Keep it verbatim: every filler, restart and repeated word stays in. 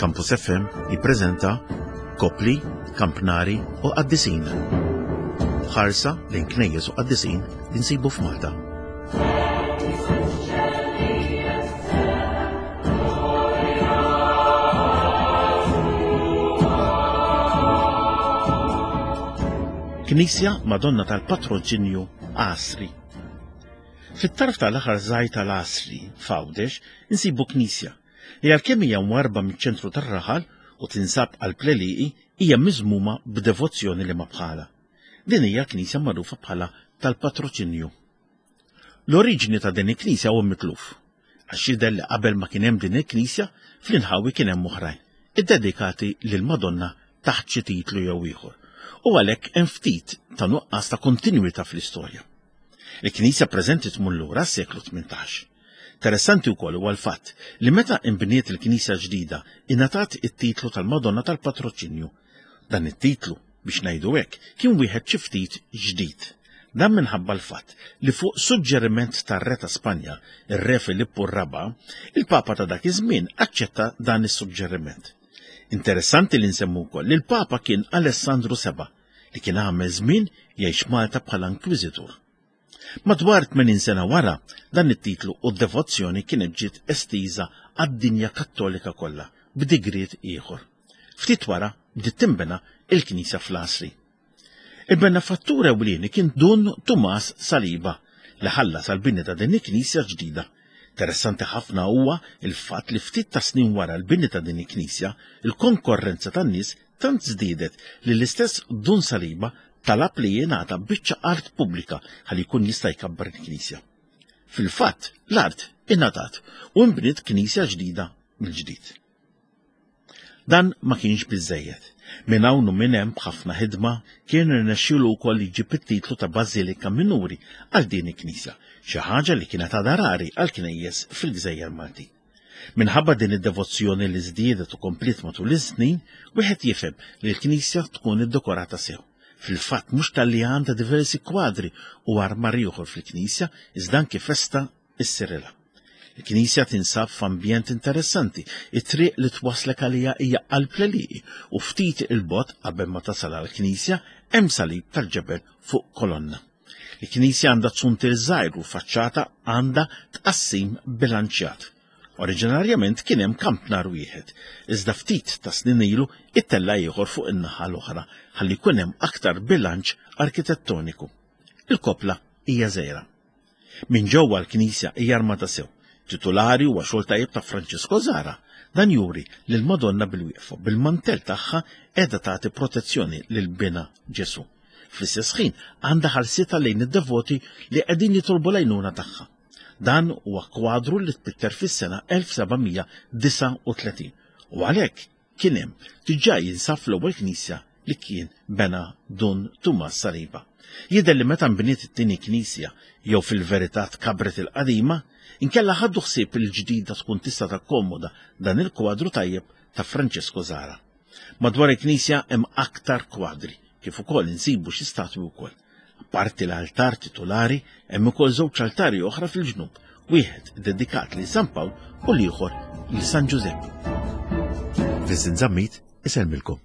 Campus F M jippreżenta Kopli, Kampnari u Qaddisin. Ħarsa lejn knejjes u qaddisin li nsibu f'Malta. Knisja Madonna tal-Patroċinju, Għasri. Fit-tarf tal-aħħar żgħir tal-Għasri, f'Għawdex, insibu knisja li għalkemm hija mwarba miċ-ċentru tar-raħal u tinsab qalb l-għelieqi, hija miżmuma b'devozzjoni li ma bħala. Din hija knisja magħrufa bħala tal-Patroċinju. L-oriġini ta' din il-knisja huwa mitluf, għax jidher li qabel ma kien hemm din il-knisja, fl-inħawi kien hemm oħrajn, iddedikati lil Madonna taħt xi titlu jew ieħor. U għalhekk hemm ftit ta' nuqqas ta' kontinwità fl-istorja. Il-knisja preżenti tmur lura s-seklu tmintax. Interessanti wkoll huwa l-fatt li meta imbniet il-knisja ġdida ingħatat it-titlu tal-Madonna tal-Patroċinju. Dan it-titlu, biex ngħidu hekk, kien wieħed xi ftit ġdid. Dan minħabba l-fatt li fuq suġġeriment tar-re ta' Spanja, ir-Re Filippu r-Raba, il-Papa ta' dak iż-żmien aċċetta dan is-suġġeriment. Interessanti li nsemmu wkoll li l-Papa kien Alessandru Seba, li kien għamel żmien jgħix Malta bħala inkwiżitur. Madwar tmenin sena wara, dan it-titlu u d-devozzjoni kienet ġiet estiża għad-dinja Kattolika kollha b'digriet ieħor. Ftit wara bdiet tinbena il-knisja fl-Għasri. Il-benefattur ewlieni kien Dun Tumas Saliba li ħallas għal-bini ta' din il-knisja ġdida. Interessanti ħafna huwa il-fatt li ftit ta' snin wara l-bini ta' din il-knisja, il-konkorrenza tan-nies tant żdiedet li l-istess Dun Saliba talab li jingħata biċċa art pubblika ħalli jkun jista' jkabbar il-knisja. Fil-fatt, l-art ingħatat u nbniet knisja ġdida mill-ġdid. Dan ma kienx biżejjed. Minn hawn u minn hemm, b'ħafna ħidma, kien irnexxielu wkoll jġib it-titlu ta' Bażilika Minuri għal din il-knisja, xi ħaġa li kienet għadha rari għal knejjes fil-Gżejjer Malti. Minħabba din id-devozzjoni li żdiedet u kompliet matul iż-snin, wieħed jifhem li l-knisja tkun iddekorata sew. Fil-fatt, mhux talli għandha diversi kwadri u armar ieħor fil-knisja, iżda anki festa issirilha. Il-knisja tinsab f'ambjent interessanti. It-triq li twaslek għalija hija qalb l u ftit il-bogħod qabel ma tasal għall-knisja hemm salib tal-ġebel fuq kolonna. Il-knisja għandha zuntier żgħir u faċċata għandha tqassim bilanċjat. Oriġinarjament kien hemm kampnar wieħed, iżda ftit ta' snin ilu ittella ieħor fuq in-naħa l-oħra ħalli jkun hemm aktar bilanċ arkitettoniku. Il-kopla hija żgħira. Minn ġewwa l-knisja hija armata sew. Titulari huwa xogħol tajjeb ta' Francesco Zara. Dan juri li l-Madonna bil-wieqfa bil-mantel tagħha qiegħda tagħti protezzjoni lil bina Ġesu. Fl-istess ħin għandha ħarsita lejn id-devoti li qegħdin jitolbu l-għajnuna tagħha. Dan huwa kwadru li tpitter fis-sena elf seba' mija disgħa u tletin u għalhekk kien hemm diġà jinsab fl-ewwel knisja li kien bena Dun Tumas Saliba. Jidher li meta nbniet it-tieni knisja, jew fil-verità tkabret il-qadima, inkella ħaddu ħsieb il-ġdida tkun tista' takkomoda dan il-kwadru tajjeb ta' Francesco Zara. Madwar il-knisja hemm aktar kwadri, kif ukoll insibu xi statwi wkoll. Apparti l-altar titulari, hemm ukoll żewġ altari oħra fil-ġnub, wieħed dedikat lil San Pawl u l-ieħor lil San Ġużepp. Vincent Zammit isellmilkom.